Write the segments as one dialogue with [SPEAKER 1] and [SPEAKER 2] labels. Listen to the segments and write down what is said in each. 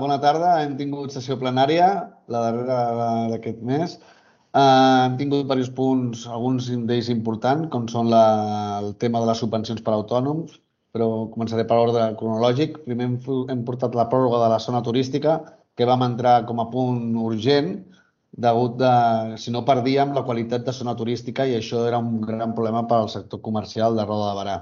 [SPEAKER 1] Bona tarda, hem tingut sessió plenària, la darrera d'aquest mes. Hem tingut diversos punts, alguns d'ells importants, com són el tema de les subvencions per a autònoms, però començaré per ordre cronològic. Primer hem portat la pròrroga de la zona turística, que vam entrar com a punt urgent, degut de, si no perdíem la qualitat de zona turística i això era un gran problema per al sector comercial de Roda de Berà.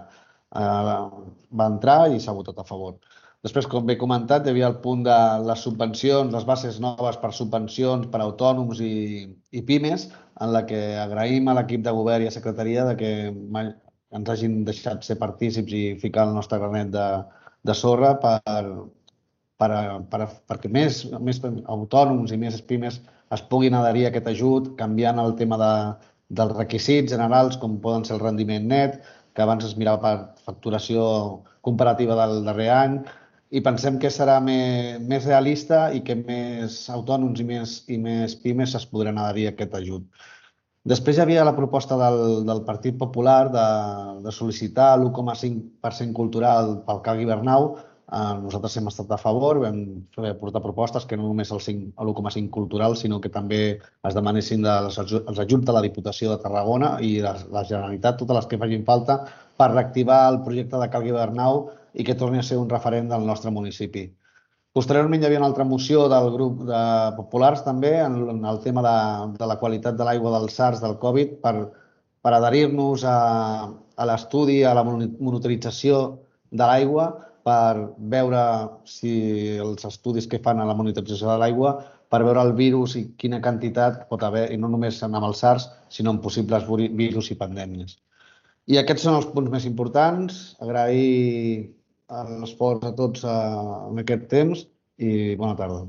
[SPEAKER 1] Va entrar i s'ha votat a favor. Després, com bé comentat, hi havia el punt de les subvencions, les bases noves per subvencions per a autònoms i pimes, en la que agraïm a l'equip de govern i a secretaria que ens hagin deixat ser partícips i ficar el nostre granet de sorra perquè més autònoms i més pimes es puguin adherir a aquest ajut, canviant el tema dels requisits generals, com poden ser el rendiment net, que abans es mirava per facturació comparativa del darrer any, i pensem que serà més realista i que més autònoms i més pimes es podran adherir a aquest ajut. Després hi havia la proposta del Partit Popular de sol·licitar l'1,5% cultural pel Calgui Bernau. Nosaltres hem estat a favor, vam portar propostes que no només l'1,5 cultural, sinó que també es demanessin els ajuts de la Diputació de Tarragona i la Generalitat, totes les que facin falta, per reactivar el projecte de Calgui Bernau i que torni a ser un referent del nostre municipi. Posteriorment hi havia una altra moció del grup de populars també en el tema de la qualitat de l'aigua dels SARS del Covid per adherir-nos a l'estudi, a la monitorització de l'aigua, per veure si els estudis que fan a la monitorització de l'aigua, per veure el virus i quina quantitat pot haver, i no només amb el SARS, sinó en possibles virus i pandèmies. I aquests són els punts més importants. Agrair l'esforç a tots en aquest temps i bona tarda.